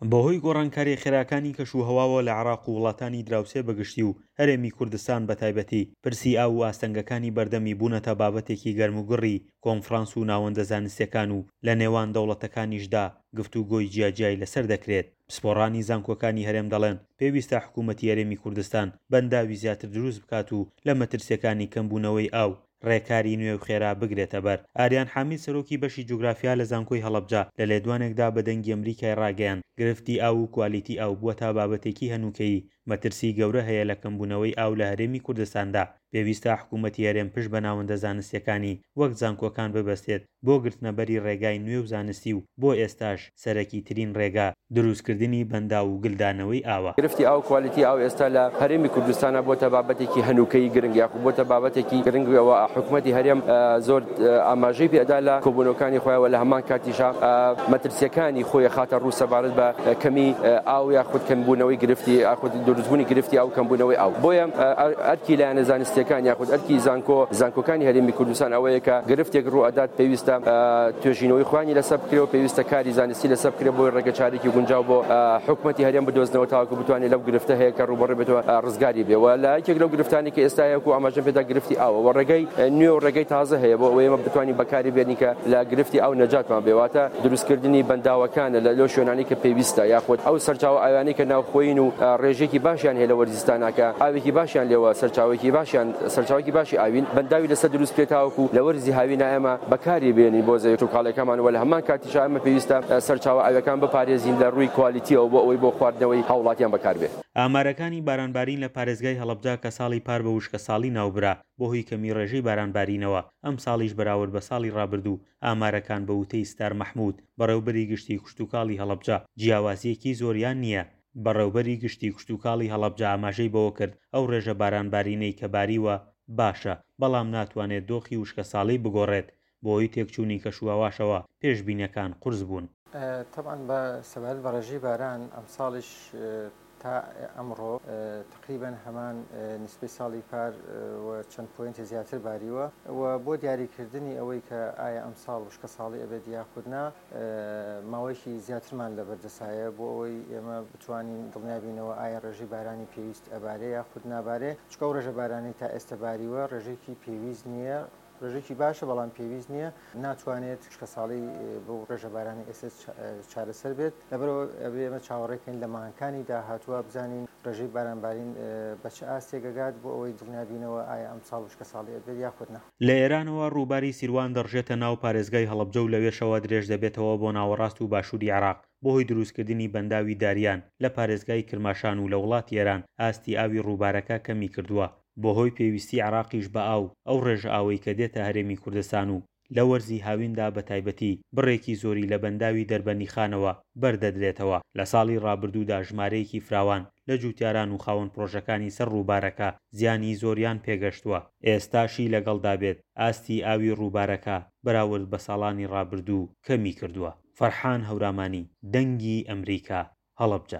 بەهۆی گۆڕانکارییە خێراکانی کەشوهەواوە لە عێراق و وڵاتانی دراوسێ بەگشتی و هەرێمی کوردستان بەتایبەتی، پرسی ئاو و ئاستەنگەکانی بەردەمی بوونەتە بابەتێکی گەرموگوڕی کۆنفرانس و ناوەندە زانستییەکان و لە نێوان دەوڵەتەکانیشدا گفتوگۆی جیاجیای لەسەر دەکرێت. پسپۆڕانی زانکۆکانی هەرێم دەڵێن، پێویستە حکوومەتی هەرێمی کوردستان بەنداوی زیاتر دروست بکات و لە مەترسییەکانی کەمبوونەوەی ئاو ڕێکاری نوێ و خێرا بگرێتە بەر. ئاریان حامید سەرۆکی بەشی جوگرافیا لە زانکۆی هەڵەبجە لە لێدوانێکدا بە دەنگی ئەمریکای ڕاگەیاند، گرفتی ئاو و کوالیتی ئاو بووەتە بابەتێکی هەنووکەیی، مەترسی گەورە هەیە لە کەمبوونەوەی ئاو لە هەرێمی کوردستاندا، پێویستە حکوومەتی هەرێم پشت بە ناوەندە زانستییەکانی وەک زانکۆکان ببەستێت بۆ گرتنەبەری ڕێگای نوێ و زانستی و بۆ ئێستاش سەرەکیترین ڕێگا دروستکردنی بەنداو و گلدانەوەی ئاوە. گرفتی ئاو کوالیتی ئاو ئێستا لە هەرێمی کوردستانا بۆتە بابەتێکی هەنووکەیی گرنگ یاخود بۆتە بابەتێکی گرنگ و حکومەتی هەرێم زۆر ئاماژەی پێ ئەدا لە کۆبوونەوەکانی خۆیان و لە هەمان کاتیشا مەترسیەکانی خۆی ئەخاتە ڕوو سەبارەت بە کەمی ئاو یاخود کەمبوونەوەی گرفتی یاخود دروستبوونی گرفتی ئاو کەمبوونەوەی ئاو بۆیە ئەرکی لایەنە زانستیەکان یاخود ئەرکی زانکۆ زانکۆکانی هەرێمی کوردستان ئەوەیە کە گرفتێک ڕوو ئەدات پێویستە توێژینەوەی خۆیانی لەسەر بکرێ و پێویستە کاری زانستی لەسەر بکرێ بۆی ڕێگەچارێکی گونجاو بۆ حکومەتی هەرێم بدۆزنەوە تاوەکو بتوانێت لەو گرفتە هەیە کە ڕووبەڕووی بێتەوە ڕزگاری بێ و لە یەکێک لەو گرفتانی کە ئێستا هەیە وەکو ئاماژەم پێدا گرفتی ئاوە و ڕێگەی نوێ و ڕێگەی تازە هەیە بۆ ئەوەی ئێمە بتوانین بەکاری بێنین کە لە گرفتی ئاو نەجاتمان بێ واتە دروستکردنی بەنداوەکانە لە لەو شوێنانەی کە پێویستە یاخود ئەو سەرچاوە ئاویانەی کە ناوخۆیین و ڕێژەیەکی باشیان هەیە لە وەرزی زستانا کە ئاوێکی باشیان لێوە سەرچاوەیەکی باشیان سەرچاوەیەکی باشی ئاوین بەنداوی لەسەر دروست بکرێت تاوەکو لە وەرزی هاوینا ئێمە بەکاری بێنین بۆ زەوی کشتوکاڵیەکەمان و لە هەمان کاتیشا ئێمە پێویستە سەرچاوە ئاویەکان بپارێزین لە ڕووی کوالیتیەوە بۆ ئەوەی بۆ خواردنەوەی هاوڵاتیان بەکاربێ. ئامارەکانی بارانبارین لە پارێزگای هەڵەبجە کە ساڵی پار بە وشکەساڵی ناوبرا، بەهۆی کەمی ڕێژەی بارانبارینەوە، ئەمساڵیش بەراورد بە ساڵی ڕابردوو ئامارەکان بە وتەی ستار مەحمود، بەڕێوبەری گشتی کشتوکاڵی هەڵەبجە، جیاوازییەکی زۆریان نییە. بەڕێوبەری گشتی کشتوکاڵی هەڵەبجە ئاماژەی بەوەکرد، ئەو ڕێژە بارانبارینەی کە باریوە باشە، بەڵام ناتوانێت دۆخی وشکەساڵی بگۆڕێت، بەهۆی تێکچوونی کەشوهەواشەوە پێشبینییەکان قورس بوون. تەبعەن بە سەبارەت بە ڕێژەی باران ئەمساڵیش تا ئەمڕۆ تەقریبەن هەمان نیسبەی ساڵی پار و چەند پۆینتی زیاتر باریوە و بۆ دیاریکردنی ئەوەی کە ئایا ئەمساڵ وشکەساڵی ئەبێت یاخود نا ماوەیەکی زیاترمان لەبەردەسایە بۆ ئەوەی ئێمە بتوانین دڵنیابینەوە ئایا ڕێژەی بارانی پێویست ئەبارێ یاخود نابارێ چونکە ئەو ڕێژە بارانەی تا ئێستە باریوە ڕێژەیەکی پێویست نییە ڕێژەیەکی باشە بەڵام پێویست نییە، ناتوانێت وشکەساڵی بەو ڕێژە بارانەی ئێستا چارەسەر بێت، لەبەرئەوە ئەبێ ئێمە چاوەڕێ کەین لە مانگەکانی داهاتووە بزانین ڕێژەی بارانبارین بە چ ئاستێک ئەگات بۆ ئەوەی دڵنیا بینەوە ئایا ئەمساڵ وشکەساڵی ئەبێت یاخود نا. لە ئێرانەوە ڕووباری سیروان دەڕژێتە ناو پارێزگای هەڵەبجە و لەوێشەوە درێژدەبێتەوە بۆ ناوەڕاست و باشووری عێراق، بەهۆی دروستکردنی بەنداوی داریان لە پارێزگای کرماشان و لە وڵاتی ئێران ئاستی ئاوی ڕووبارەکە کەمیکردووە. بەهۆی پێویستی عێراقیش بە ئاو، ئەو ڕێژە ئاوەی کە دێتە هەرێمی کوردستان و لە وەرزی هاویندا بە تایبەتی بڕێکی زۆری لە بەنداوی دەربەندیخانەوە بەردەدرێتەوە، لە ساڵی ڕابردوودا ژمارەیەکی فراوان لە جووتیاران و خاوەن پڕۆژەکانی سەر ڕووبارەکە زیانی زۆریان پێگەشتووە، ئێستاشی لەگەڵدا بێت ئاستی ئاوی ڕووبارەکە بەراورد بە ساڵانی ڕابردوو کەمی کردووە. فەرحان هەورامانی، دەنگی ئەمریکا، هەڵەبجە.